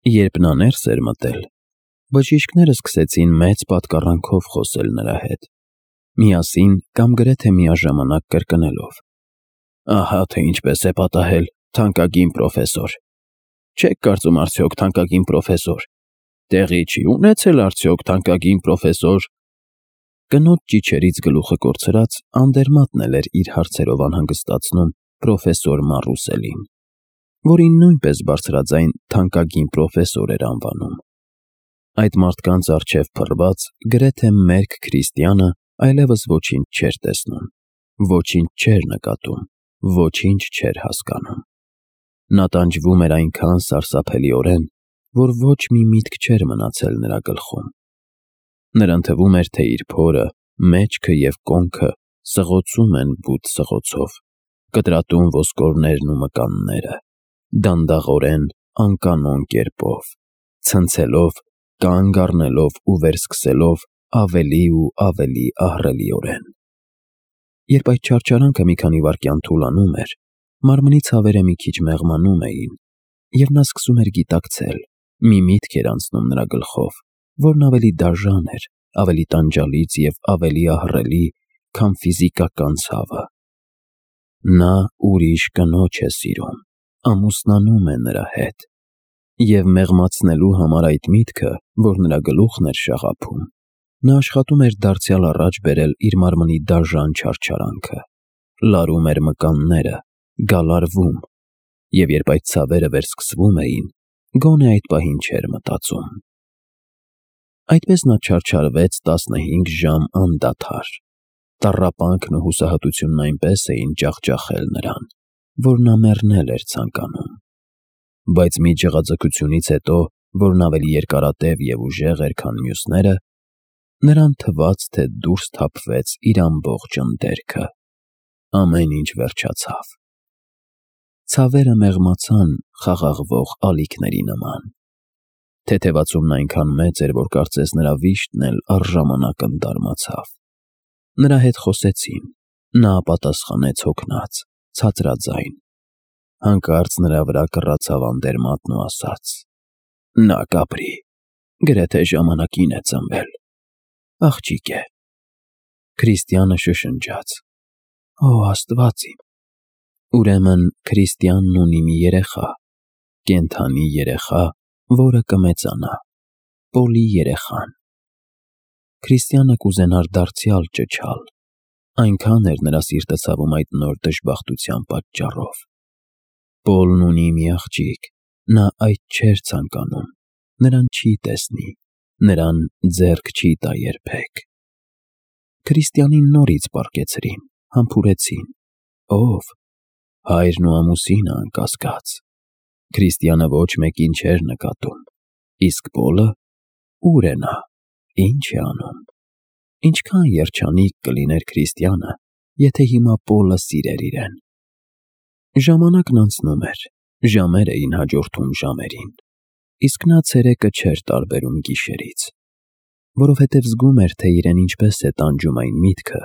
Երբ նա ներս էր մտել, բժիշկները սկսեցին մեծ պատկառանքով խոսել նրա հետ, միասին կամ գրեթե միաժամանակ կրկնելով. «Ահա թե ինչպես է պատահել, թանկագին պրոֆեսոր։ Չեք կարծում արդյոք, թանկագին պրոֆեսոր, տեղի չի ունեցել արդյոք, թանկագին պրոֆեսոր»։ Կնոջ ճիչերից գլուխը կորցրած Անդերմատն էլ էր իր հարցերով անհանգստացնում պրոֆեսոր Մարուսելին, որին նույնպես բարձրաձայն թանկագին պրոֆեսոր էր անվանում։ Այդ մարդկանց առջև փռված, գրեթե մերկ քրիստյանը այլևս ոչինչ չէր տեսնում, ոչինչ չէր նկատում, ոչինչ չէր հասկանում։ Նա տանջվում էր այնքան սարսափելիորեն, որ ոչ մի միտք չէր մնացել նրա գլխում։ Նրան թվում էր, թե իր փորը, մեջքը և կոնքը սղոցում են բութ սղոցով, կտրատում ոսկորներն ու մկանները, դանդաղորեն, անկանոն կերպով, ցնցելով, կանգ առնելով ու վերսկսելով ավելի ու ավելի ահռելիորեն։ Երբ այդ չարչարանքը մի քանի վայրկյան թուլանում էր, մարմնի ցավերը մի քիչ մեղմանում էին, և նա սկսում էր գիտակցել, մի միտք էր անցնում նրա գլխով, որն ավելի դաժան էր, ավելի տանջալից և ավելի ահռելի, քան ֆիզիկական ցավը։ Նա ուրիշ կնոջ է սիրում, ամուսնանում է նրա հետ։ Եվ մեղմացնելու համար այդ միտքը, որ նրա գլուխն էր շաղափում, նա աշխատում էր դարձյալ առաջ բերել իր մարմնի դաժան չարչարանքը, լարում էր մկանները, գալարվում, և երբ այդ ցավերը վերսկսվում էին, գոնե այդ պահին չէր մտածում։ Այդպես նա չարչարվեց 15 ժամ անդադար։ Տառապանքն ու հուսահատությունն այնպես էին ջախջախել նրան, որ նա մեռնել էր ցանկանում։ Բայց մի ջղաձգությունից հետո, որն ավելի երկարատև և ուժեղ էր, քան մյուսները, նրան թվաց, թե դուրս թափվեց իր ամբողջ ընդերքը։ Ամեն ինչ վերջացավ։ Ցավերը մեղմացան խաղաղվող ալիքների նման։ Թեթևացումն այնքան մեծ էր, որ կարծես նրա վիշտն էլ առժամանակ ընդարմացավ։ Նրա հետ խոսեցին, նա պատասխանեց հոգնած, ցածրաձայն։ Հանկարծ նրա վրա կռացավ Անդերմատն ու ասաց. «Նա կապրի, գրեթե ժամանակին է ծնվել, աղջիկ է»։ Քրիստյանը շշնջաց. «Օ Աստված իմ»։ Ուրեմն քրիստյանն ունի մի երեխա, կենդանի երեխա, որը կմեծանա, Պոլի երեխան։ Քրիստյանը կուզենար դարձյալ ճչալ, այնքան էր նրա սիրտը ցավում այդ նոր դժբախտության պատճառով։ Պոլն ունի մի աղջիկ, նա այդ չէր ցանկանում, նրան չի տեսնի, նրան ձեռք չի տա երբեք։ Քրիստյանին նորից պառկեցրին, համբուրեցին։ Ո՞վ։ Հայրն ու ամուսինը, անկասկած։ Քրիստյանը ոչ մեկին չէր նկատում։ Իսկ Պոլը։ Ո՞ւր է նա, ինչ է անում։ Ինչքան երջանիկ կլիներ Քրիստյանը, եթե հիմա Պոլը սիրեր իրեն։ Ժամանակն անցնում էր, ժամեր էին հաջորդում ժամերին, իսկ նա ցերեկը չէր տարբերում գիշերից, որովհետև զգում էր, թե իրեն ինչպես է տանջում այն միտքը,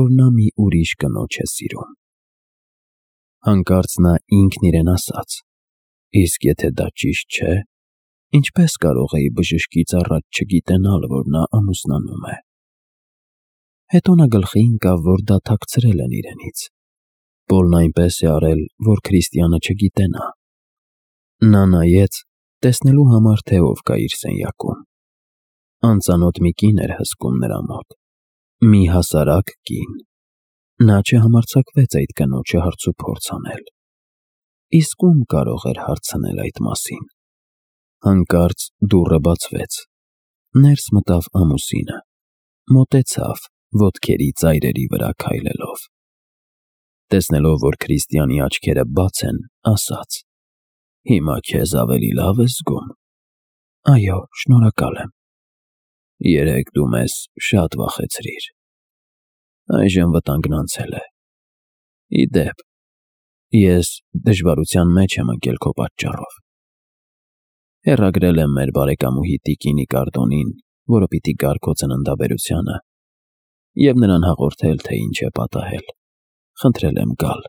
որ նա մի ուրիշ կնոջ է սիրում։ Հանկարծ նա ինքն իրեն ասաց. «Իսկ եթե դա ճիշտ չէ, ինչպե՞ս կարող էի բժշկից առաջ չգիտենալ, որ նա ամուսնանում է»։ Հետո նա գլխի ընկավ, որ դա թաքցրել են իրենից։ Պոլն այնպես է արել, որ Քրիստյանը չգիտենա։ Նա նայեց, տեսնելու համար, թե ով կա իր սենյակում։ Անծանոթ մի կին էր հսկում նրա մոտ, մի հասարակ կին։ Նա չհամարձակվեց այդ կնոջը հարցուփորձ անել։ Իսկ ում կարող էր հարցնել այդ մասին։ Հանկարծ դուռը բացվեց։ Ներս մտավ ամուսինը, մոտեցավ, ոտքերի ծայրերի վրա քայլելով։ Տեսնելով, որ Քրիստյանի աչքերը բաց են, ասաց. «Հիմա քեզ ավելի լավ ես զգում»։ «Այո, շնորհակալ եմ»։ «Երեկ դու մեզ շատ վախեցրիր։ Այժմ վտանգն անցել է։ Ի դեպ, ես դժվարության մեջ եմ ընկել քո պատճառով։ Հեռագրել եմ մեր բարեկամուհի տիկին Իկարդոնին, որը պիտի գար քո ծննդաբերությանը, և նրան հաղորդել, թե ինչ է պատահել։ Խնդրել եմ գալ։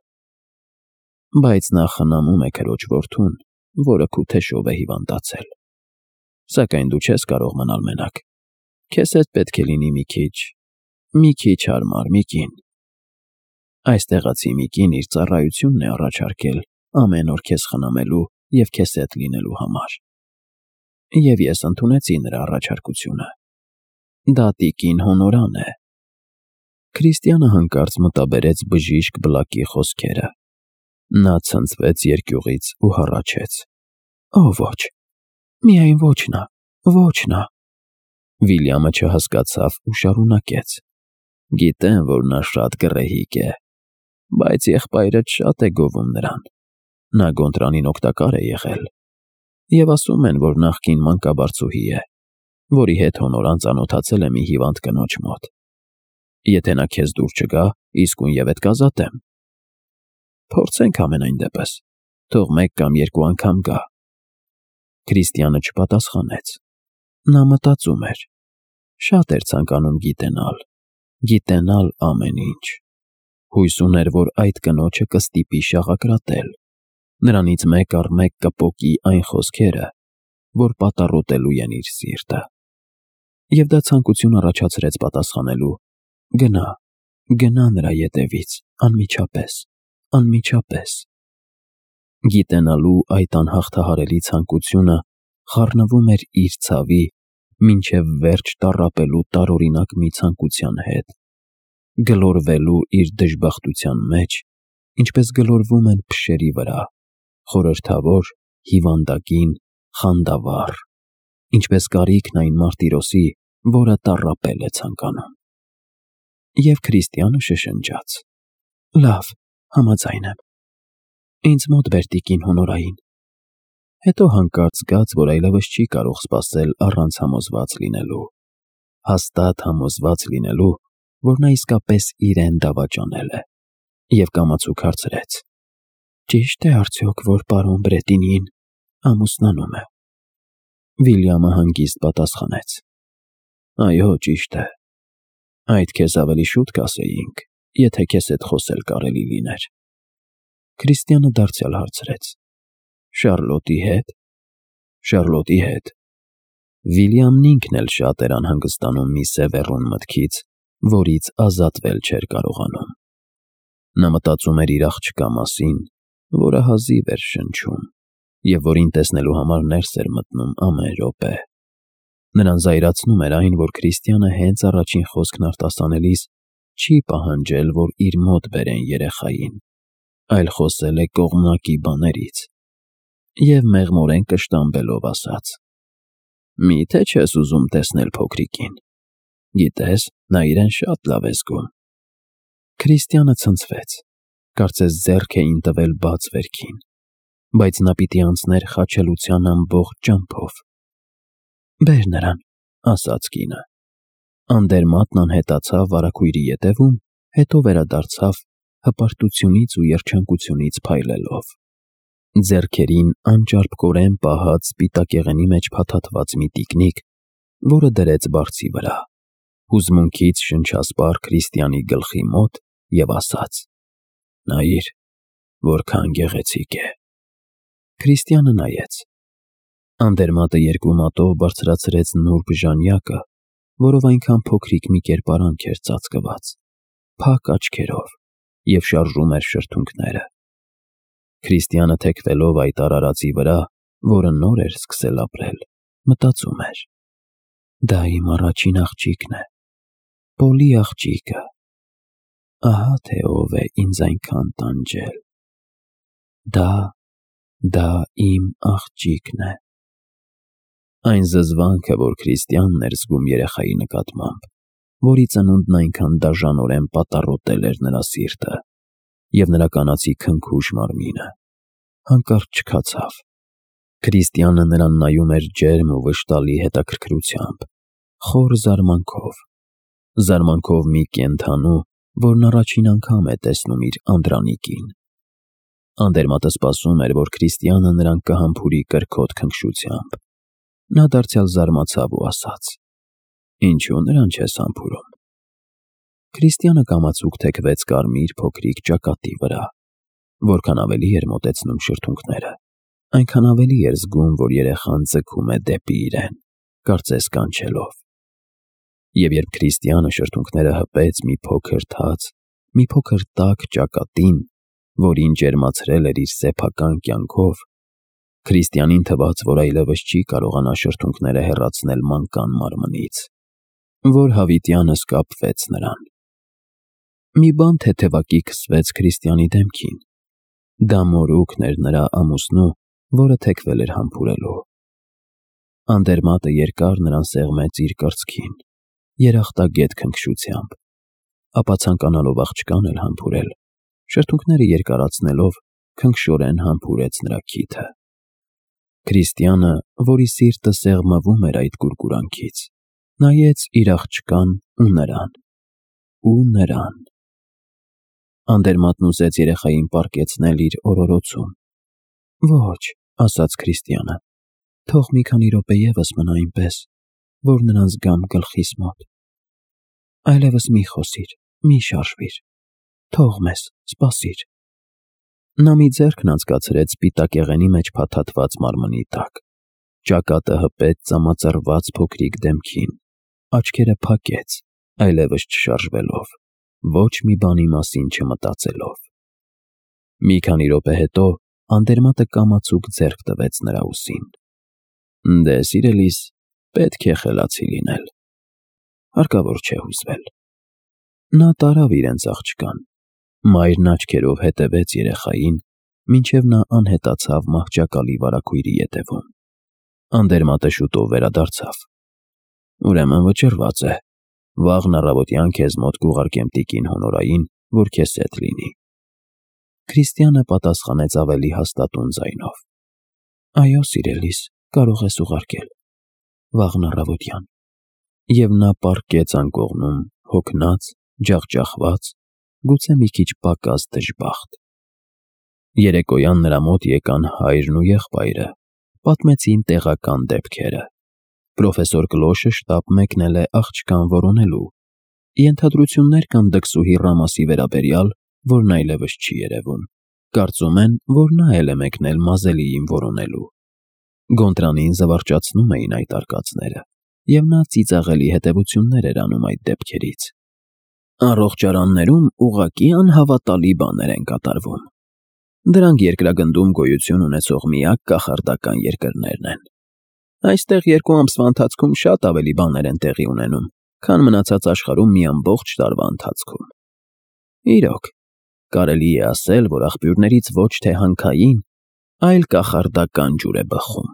Բայց նա խնամում է քրոջ որդուն, որը քութեշով է հիվանդացել»։ Սակայն դու չես կարող մնալ մենակ։ Քեզ հետ պետք է լինի մի քիչ հարմար մի կին։ Այս տեղացի մի կին իր ծառայությունն է առաջարկել ամեն օր քեզ խնամելու և քեզ հետ լինելու համար։ Եվ ես ընդունեցի նրա առաջարկությունը։ Դա տիկին Հոնորան է։ Քրիստիանը հանկարծ մտաբերեց բժիշկ Բլակի խոսքերը։ Նա ցնցվեց երկյուղից ու հառաչեց. «Օ, ոչ, միայն ոչ նա, ոչ նա»։ Վիլյամը չհասկացավ ու շարունակեց. «Գիտեմ, որ նա շատ գռեհիկ է, բայց եղբայրդ շատ է գովում նրան։ Նա Գոնտրանին օգտակար է եղել։ Եվ ասում են, որ նախկին մանկաբարձուհի է, որի հետ Հոնորան ծանոթացել է մի հիվանդ կնոջ մոտ։ Եթե նա քեզ դուր չգա, իսկույնևեթ կազատեմ։ Փորձենք համենայն դեպս, թող մեկ կամ երկու անգամ գա»։ Քրիստիանը չպատասխանեց։ Նա մտածում էր. շատ էր ցանկանում գիտենալ ամեն ինչ։ Հույս ուներ, որ այդ կնոջը կստիպի շաղակրատել։ Նրանից մեկ առ մեկ կպոկի այն խոսքերը, որ պատառոտելու են իր սիրտը։ Եվ դա ցանկություն առաջացրեց պատասխանելու. գնա նրա ետևից, անմիջապես։ Գիտենալու այդ անհաղթահարելի ցանկությունը խառնվում էր իր ցավի, մինչև վերջ տառապելու տարօրինակ մի ցանկության հետ, գլորվելու իր դժբախտության մեջ, ինչպես գլորվում են փշերի վրա, խորհրդավոր, հիվանդագին, խանդավառ, ինչպես կարիքն այն մարտիրոսի, որը տառապել է ցանկանում։ Եվ Քրիստիանը շշնջաց. «Լավ, համաձայն եմ։ Ինձ մոտ բեր տիկին Հոնորային»։ Հետո հանկարծ զգաց, որ այլևս չի կարող սպասել առանց համոզված լինելու, հաստատ համոզված լինելու, որ նա իսկապես իրեն դավաճանել է, և կամացուկ հարցրեց. «Ճիշտ է արդյոք, որ պարոն Բրետինին ամուսնանում է»։ Վիլյամը հանգիստ պատասխանեց. «Այո, ճիշտ է։ Այդ քեզ ավելի շուտ կասեինք, եթե քեզ հետ խոսել կարելի լիներ»։ Քրիստիանը դարձյալ հարցրեց. «Շառլոտի հետ»։ «Շառլոտի հետ»։ Վիլյամն ինքն էլ շատ էր անհանգստանում մի սևեռուն մտքից, որից ազատվել չէր կարողանում։ Նա մտածում էր իր աղջկա մասին, որը հազիվ էր շնչում, և որին տեսնելու համար ներս էր մտնում ամեն րոպե։ Նրան զայրացնում էր այն, որ Քրիստիանը հենց առաջին խոսքն արտասանելիս չի պահանջել, որ իր մոտ բերեն երեխային, այլ խոսել է կողմնակի բաներից, և մեղմորեն կշտամբելով ասաց. «Մի՞թե չես ուզում տեսնել փոքրիկին։ Գիտես, նա իրեն շատ լավ է զգում»։ Քրիստիանը ցնցվեց, կարծես ձեռք էին տվել բաց վերքին, բայց նա պիտի անցներ խաչելության ամբողջ ճամփով։ «Բեր նրան», ասաց կինը։ Անդերմատն անհետացավ վարագույրի ետևում, հետո վերադարձավ հպարտությունից ու երջանկությունից փայլելով։ Ձեռքերին անճարպկորեն պահած սպիտակեղենի մեջ փաթաթված մի տիկնիկ, որը դրեց բարձի վրա, հուզմունքից շնչասպառ Քրիստիանի գլխի մոտ և ասաց. «Նայիր, որքան գեղեցիկ է»։ Քրիստիանը նայեց։ Անդերմատը երկու մատով բարձրացրեց նուրբ ժանյակը, որով այնքան փոքրիկ մի կերպարանք էր ծածկված, փակ աչքերով, և շարժում էր շրթունքները։ Քրիստիանը թեքվելով այդ արարածի վրա, որը նոր էր սկսել ապրել, մտածում էր. «Դա իմ առաջին աղջիկն է, Պոլի աղջիկը։ Ահա թե ով է ինձ այնքան տանջել։ Դա իմ աղջիկն է»։ Այն զզվանքը, որ Քրիստիանն էր զգում երեխայի նկատմամբ, որի ծնունդն այնքան դաժանորեն պատառոտել էր նրա սիրտը և նրա կանացի քնքուշ մարմինը, հանկարծ չքացավ։ Քրիստիանը նրան նայում էր ջերմ ու վշտալի հետաքրքրությամբ, խոր զարմանքով մի կենդանու, որն առաջին անգամ է տեսնում իր անդրանիկին։ Անդերմատը սպասում էր, որ Քրիստիանը նրան կհամբուրի կրքոտ քնքշությամբ։ Նա դարձյալ զարմացավ ու ասաց. «Ինչու նրան չես համբուրում»։ Քրիստիանը կամացուկ թեքվեց կարմիր փոքրիկ ճակատի վրա։ Որքան ավելի էր մոտեցնում շրթունքները, այնքան ավելի էր զգում, որ երեխան ձգում է դեպի իրեն։ կարծես կանչելով։ Եվ երբ Քրիստիանը շրթունքները հպեց մի փոքր թաց, մի փոքր տաք ճակատին, որին ջերմացրել էր իր սեփական կյանքով, Քրիստիանին թվաց, որ այլևս չի կարողանա շրթունքները հեռացնել մանկան մարմնից, որ հավիտյանս կապվեց նրան։ Մի բան թեթևակի քսվեց Քրիստիանի դեմքին։ Դա մորուքն էր նրա ամուսնու, որը թեքվել էր համբուրելու։ Անդերմատը երկար նրան սեղմեց իր կրծքին, երախտագետ քնքշությամբ, ապա ցանկանալով աղջկան էլ համբուրել, շրթունքները երկարացնելով քնքշորեն համբուրեց նրա քիթը։ Քրիստիանը, որի սիրտը սեղմվում էր այդ գուրգուրանքից, նայեց իր աղջկան ու նրան։ Անդերմատն ուզեց երեխային պառկեցնել իր օրորոցում։ «Ոչ», ասաց Քրիստիանը, «թող մի քանի րոպե ևս մնա այնպես, որ նրան զգամ գլխիս մոտ։ Այլևս մի խոսիր, մի շարժվիր, թող մեզ, սպասիր»։ Նա մի ձեռքն անցկացրեց սպիտակեղենի մեջ փաթաթված մարմնի տակ, ճակատը հպեց ծամածռված փոքրիկ դեմքին, աչքերը փակեց, այլևս չշարժվելով, ոչ մի բանի մասին չմտածելով։ Մի քանի րոպե հետո Անդերմատը կամացուկ ձեռք տվեց նրա ուսին։ «Դե, սիրելիս, պետք է խելացի լինել, հարկավոր չէ հուզվել»։ Նա տարավ իրենց աղջկան, մայրն աչքերով հետևեց երեխային, մինչև նա անհետացավ մահճակալի վարագույրի ետևում։ Անդերմատը շուտով վերադարձավ։ «Ուրեմն վճռված է, վաղն առավոտյան քեզ մոտ կուղարկեմ տիկին Հոնորային, որ քեզ հետ լինի»։ Քրիստիանը պատասխանեց ավելի հաստատուն ձայնով. «Այո, սիրելիս, կարող ես ուղարկել, վաղն առավոտյան»։ Եվ նա պառկեց անկողնում, հոգնած, ջախջախված, գուցե մի քիչ պակաս դժբախտ։ Երեկոյան նրա մոտ եկան հայրն ու եղբայրը, պատմեցին տեղական դեպքերը։ Պրոֆեսոր Կլոշը շտապ մեկնել է աղջկան որոնելու։ Ենթադրություններ կան դքսուհի Ռամասի վերաբերյալ, որն այլևս չի երևում։ Կարծում են, որ նա էլ է մեկնել Մազելիին որոնելու։ Գոնտրանին զվարճացնում էին այդ արկածները, և նա ծիծաղելի հետևություններ էր անում այդ դեպքերից։ Առողջարաններում ուղղակի անհավատալի բաներ են կատարվում։ Դրանք երկրագնդում գոյություն ունեցող միակ կախարդական երկրներն են։ Այստեղ 2 ամսվա ընթացքում շատ ավելի բաներ են տեղի ունենում, քան մնացած աշխարհում մի ամբողջ տարվա ընթացքում։ Իրոք, կարելի է ասել, որ աղբյուրներից ոչ թե հանքային, այլ կախարդական ջուր է բխում։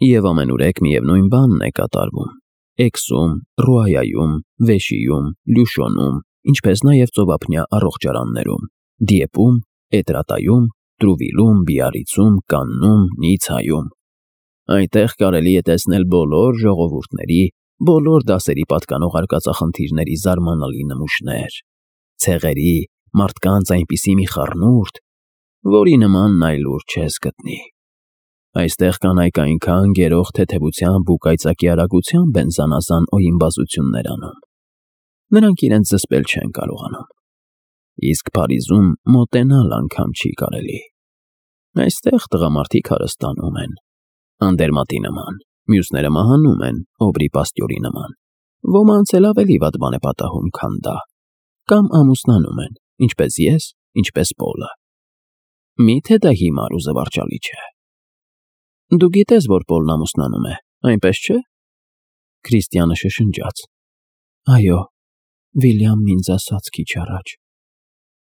Եվ ամենուրեք միևնույն բանն է կատարվում Էքսում, Ռուայայում, Վեշիում, Լյուշոնում, ինչպես նաև ծովափնյա առողջարաններում, Դիեպում, Էտրատայում, Տրուվիլում, Բիարրիցում, Կաննում, Նիցայում։ Այնտեղ կարելի է տեսնել բոլոր ժողովուրդների, բոլոր դասերի պատկանող արկածախնդիրների զարմանալի նմուշներ, ցեղերի, մարդկանց այնպիսի մի խառնուրդ, որի նմանն այլուր չես գտնի։ Այստեղ կանայք այնքան գերող թեթևությամբ ու կայծակի արագությամբ են զանազան օյիմբազություններ անում։ Նրանք իրենց զսպել չեն կարողանում։ Իսկ Փարիզում մոտենալ անգամ չի կարելի։ Այստեղ տղամարդիկ հարստանում են, Անդերմատի նման, մյուսները մահանում են, Օբրի Պաստյորի նման, ոմանց էլ ավելի վատ բան է պատահում, քան դա, կամ ամուսնանում են, ինչպես ես, ինչպես Պոլը։ Միթե դա հիմար ու զվարճալի չէ։ Դու գիտես, որ Պոլն ամուսնանում է, այնպես չէ՞։ Քրիստիանը շշնջաց. Այո, Վիլյամն ինձ ասաց քիչ առաջ։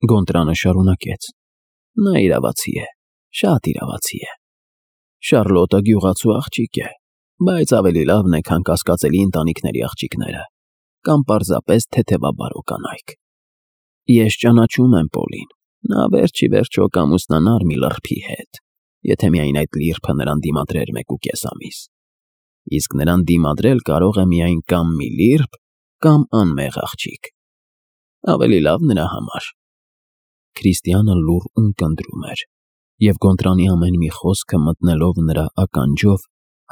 Գոնտրանը շարունակեց. Նա իրավացի է, շատ իրավացի է։ Շարլոտը գյուղացու աղջիկ է, բայց ավելի լավն է, քան կասկածելի ընտանիքների աղջիկները, կամ պարզապես թեթևաբարո կանայք։ Ես ճանաչում եմ Պոլին, նա վերջի վերջո կամուսնանար մի լրբի հետ, եթե միայն այդ լիրբը նրան դիմադրեր 1.5 ամիս։ Իսկ նրան դիմադրել կարող է միայն կամ մի լիրբ, կամ անմեղ աղջիկ։ Ավելի լավ նրա համար։ Քրիստիանը լուռ ունկնդրում էր, և Գոնտրանի ամեն մի խոսքը մտնելով նրա ականջով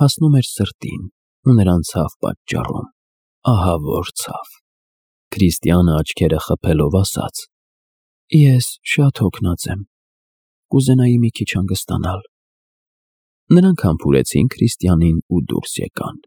հասնում էր սրտին ու նրան ցավ պատճառում, ահավոր ցավ։ Քրիստիանը աչքերը խփելով ասաց. Ես շատ հոգնած եմ, կուզենայի մի քիչ հանգստանալ։ Նրանք համբուրեցին Քրիստիանին ու դուրս եկան։